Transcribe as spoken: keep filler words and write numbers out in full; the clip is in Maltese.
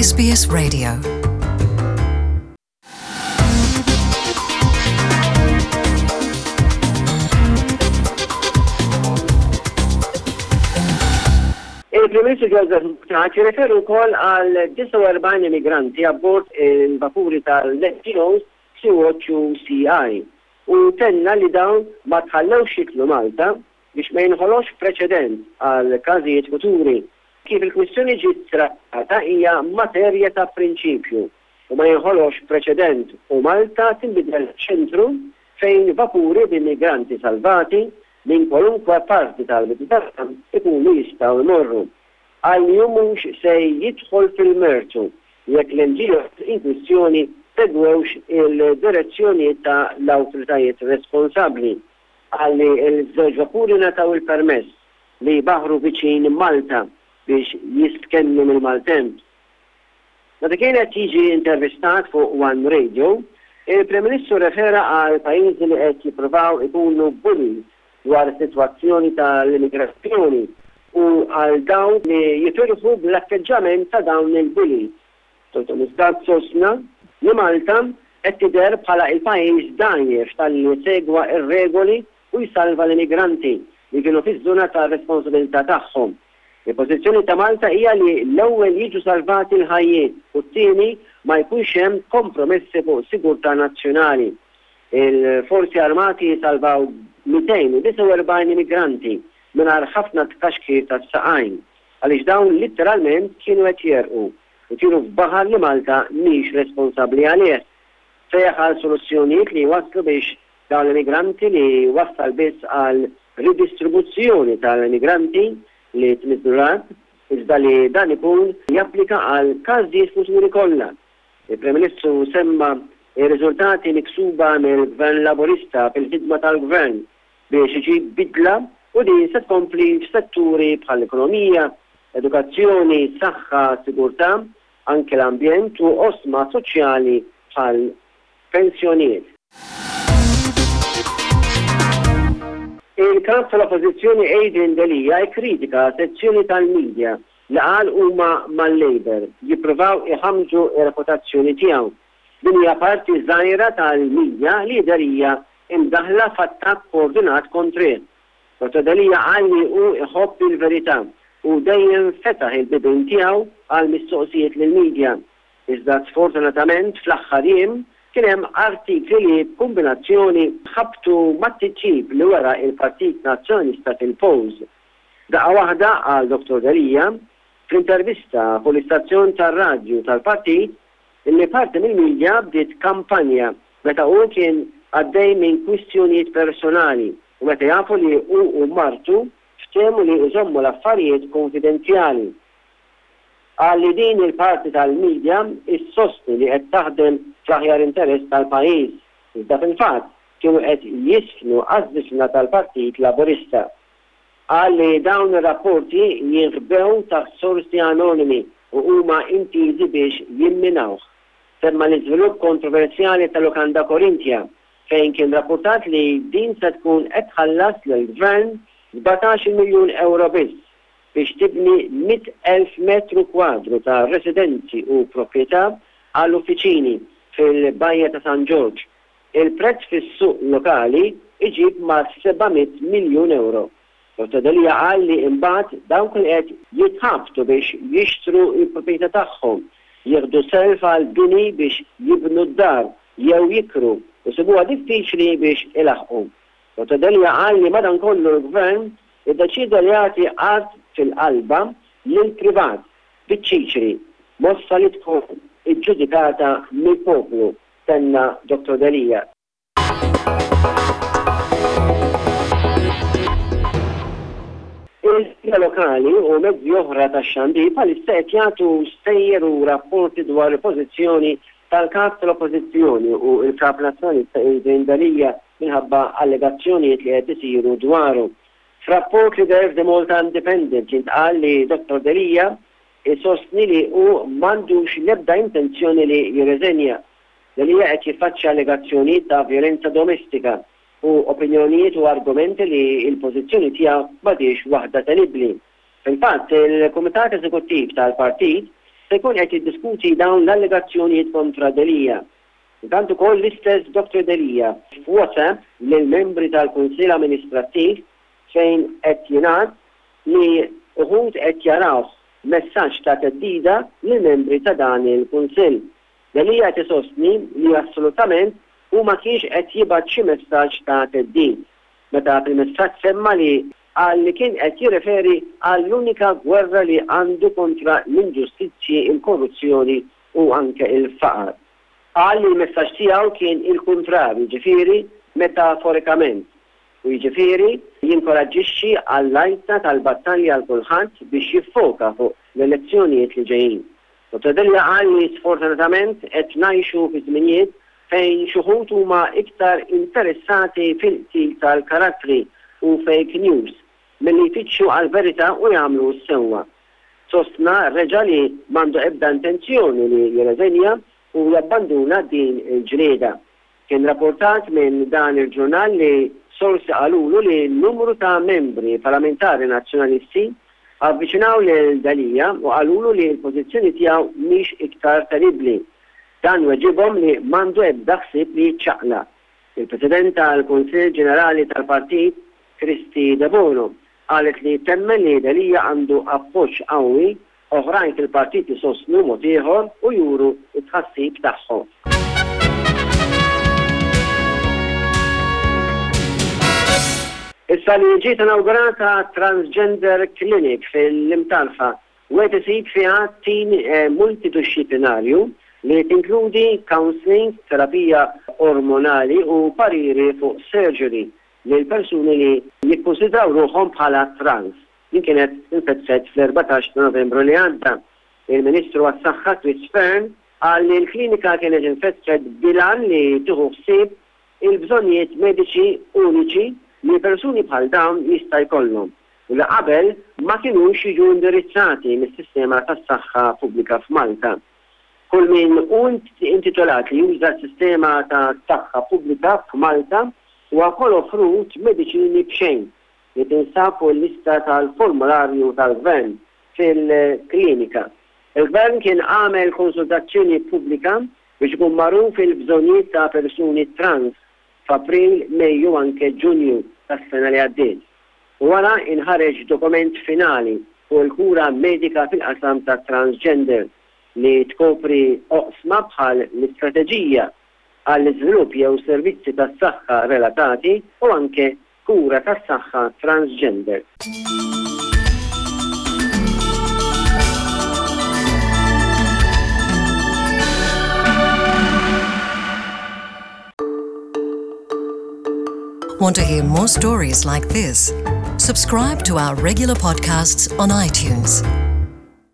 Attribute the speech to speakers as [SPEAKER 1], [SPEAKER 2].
[SPEAKER 1] S B S Radio.
[SPEAKER 2] Il-Prim Ministru Joseph Muscat jirreferu wkoll għal disgħa u erbgħin immigranti abbord il-vapuri tal-N G Os Sea-Watch u C I u tenna li dawn ma tħallewx jidħlu Malta biex ma jinħolox preċedent għal każijiet futuri. Kif il-kwistjoni ġiet trattata hija materja ta' prinċipju u ma jinħolox preċedent u Malta tinbidel ċentru fejn vapuri b'immigranti salvati minn kwalunkwe parti tal-Mediterran ikunu jistgħu jmorru. Qal li mhux se jidħol fil-mertu jekk l-N G Os in kwistjoni segwewx il-direzzjoni ta' l-awtoritajiet responsabbli. Qal li l-żewġ vapuri ngħataw il-permess li jbaħru viċin Malta biex jistkennu mill-maltemp. Meta kien qed jiġi intervistat fuq One Radio, il-Prim Ministru refera għal pajjiżi li qed jippruvaw ikunu bullies dwar is-sitwazzjoni tal-immigrazzjoni u għal dawn li jifirħu bl-atteġġament ta' dawn il-bullies. Dottor Muscat sostna li Malta qed tidher bħala il-pajjiż dgħajjef talli segwa ir-regoli u jsalva l-immigranti li kienu fiż-żona ta' responsabilità tagħhom. Il-pożizzjoni ta' Malta hija li l-ewwel jiġu salvati l-ħajjiet u t-tieni ma jkunx hemm kompromessi fuq sigurtà nazzjonali. Il-Forzi Armati salvaw mitejn u disgħa u erbgħin immigranti mingħajr ħafna tkaxkir tas-saqajn għaliex dawn literalment kienu qed jegħrqu u kienu f'baħar li Malta mhix responsabbli għalih. Sejjaħ għal soluzzjonijiet li waslu biex dawn l-immigranti li wassal biss għal ridistribuzzjoni tal-immigranti li tniżlu l-art, iżda li dan ikun japplika għal każijiet futuri kollha. Il-Prim Ministru semma ir-riżultati miksuba mill-Gvern Laburista fil-ħidma tal-Gvern biex iġib bidla u din se tkompli f'setturi bħall-ekonomija, edukazzjoni, saħħa, sigurtà, anke l-ambjent u oqsma soċjali bħal pensjonijiet. Il-kap tal-Oppożizzjoni Adrian Delia kritika sezzjoni tal-medja li qal huma mal-Labour jippruvaw iħamġu ir-reputazzjoni tiegħu. Din hija parti żgħira tal-medja li hija imdaħla f'attakk koordinat kontrih. Dottor Delia qal li hu iħobb il-verità u dejjem fetaħ il-bibien tiegħu għal mistoqsijiet lill-medja. Iżda sfortunatament fl-aħħar jiem kien hemm artikli li b'kombinazzjoni ħabtu mat-titjib li wera il-Partit Nazzjonalista fil-polls. Daqqa waħda, qal Dottor Delia fl-intervista fuq l-istazzjon tar-radju tal-partit, illi parti mill-medja bdiet kampanja meta hu kien għaddej minn kwistjonijiet personali u meta jafu li hu u martu ftehmu li jżommu l-affarijiet konfidenzjali. Qal li din il-parti tal-medja issostni li qed taħdem fl-aħjar interess tal-pajjiż, iżda fil-fatt kienu qed jiżfnu għaż-żifna tal-Partit Laburista. Qal li dawn ir-rapporti jinħbew taħt sorsi anonimi u huma intiżi biex jimminawh. Semma l-iżvilupp kontroversjali tal-Lukanda Korintia, fejn kien rapportat li din se tkun qed tħallas lill-gvern sbatax-il miljun euro biss biex tibni mitt elf metru kwadru ta' residenzi u proprjetà għall uffiċini fil-Bajja ta' San Ġorġ. Il-prezz fis-suq lokali iġib ma' seba' mitt miljun euro. Dottor Delia qal li imbagħad dawk li qed jitħabtu biex jixtru l-proprjetà tagħhom, jieħdu self għal bini biex jibnu d-dar jew jikru u sibuha diffiċli biex ilaħqu. Dottor Delia qal li madankollu l-gvern iddeċida li jagħti art fil-qalba lil privat biċ-ċiċri, mossa li tkun iġġudikata mill-poplu, tenna Dottor Delia. Il-media lokali u mezzi oħra ta' xandir bħalissa qed jagħtu stejjer u rapporti dwar il-pożizzjoni tal-kap tal-Oppożizzjoni u il-kap nazzjonalista Adrian Delia minħabba allegazzjonijiet li qed isiru dwaru. F'rapport li deher The Malta Independent jintqal li Dottor Delia isostni li hu m'għandux l-ebda intenzjoni li jirreżenja. Delia qed jiffaċċja allegazzjonijiet ta' violenza domestika u opinjonijiet u argumenti li il-pożizzjoni tiegħu m'għadhiex waħda tenibbli. Fil-fatt, il-Kumitat Eżekuttiv tal-Partit se jkun qed jiddiskuti dawn l-allegazzjonijiet kontra Delia. Intant ukoll l-istess Dottor Delia f'WhatsApp lill-membri tal-Kunsill Amministrattiv fejn qed jingħad li uħud qed jarawh messaġġ ta' theddida lill-membri ta' dan il-Kunsill. Delia qed isostni li assolutament hu ma kienx qed jibgħat xi messaġġ ta' theddid. Meta fil-messaġġ semma li qal li kien qed jirreferi għall-unika gwerra li għandu kontra l-inġustizzji, il-korruzzjoni u anke il-faqar. Qal li l-messaġġ tiegħu kien il-kuntrarju, jiġifieri metaforikament, u jiġifieri jinkoraġġixxi għall-għajta tal-battalja għal kulħadd biex jiffoka fuq l-elezzjonijiet li ġejjin. Dottor Delia qal li sfortunatament qed ngħixu fi żminijiet fejn xi wħud huma iktar interessati fil-qtil tal-karattri u fake news milli jfittxu għall-verità u jagħmlu s-sewwa. Sostna reġa' li m'għandu ebda intenzjoni li jirreżenja u jabbanduna din il-ġlieda. Kien rapportat minn dan il-ġurnal li sorsi qalulu li numru ta' membri parlamentari nazzjonalisti avviċinaw lil Delia u qalulu li l-pożizzjoni tiegħu mhix iktar tenibbli. Dan weġibhom li m'għandu ebda ħsieb li jiċċaqlaq. Il-President tal-Kunsill Ġenerali tal-Partit, Kristy Debono, qalet li temmen li Delia għandu appoġġ qawwi, oħrajn fil-partit isostnu mod ieħor u juru t-tħassib tagħhom. Issa li ġiet inawgurata Transgender Clinic fil-Imtarfa, wieħed isib fiha tim multidixxiplinarju li tinkludi counselling, terapija ormonali u pariri fuq surgery lil persuni li jikkunsidraw ruħhom bħala trans. Din kienet infetħet fl-erbatax ta' Novembru li għadda. Il-Ministru għas-Saħħa Chris Fearne qal li l-klinika kienet infetħet bil-għan li tieħu ħsieb il-bżonnijiet mediċi uniċi li persuni bħal dawn jista' jkollhom u li qabel ma kinux jiġu indirizzati mis-sistema tas-saħħa pubblika f'Malta. Kull min hu intitolat li juża s-sistema ta' saħħa pubblika f'Malta huwa wkoll offrut mediċini b'xejn li tinsab fuq il-lista tal-formularju tal-Gvern fil-klinika. Il-Gvern kien għamel konsultazzjoni pubblika biex ikun magħruf il-bżonnijiet ta' persuni trans f'April, Mejju anke Ġunju tas-sena li għaddiet. U wara inħareġ dokument finali fuq il-kura medika fil-qasam ta' transgender li tkopri oqsma bħal l-istrateġija għall-iżvilupp jew servizzi tas-saħħa relatati u anke kura tas-saħħa transgender.
[SPEAKER 1] Want to hear more stories like this? Subscribe to our regular podcasts on iTunes.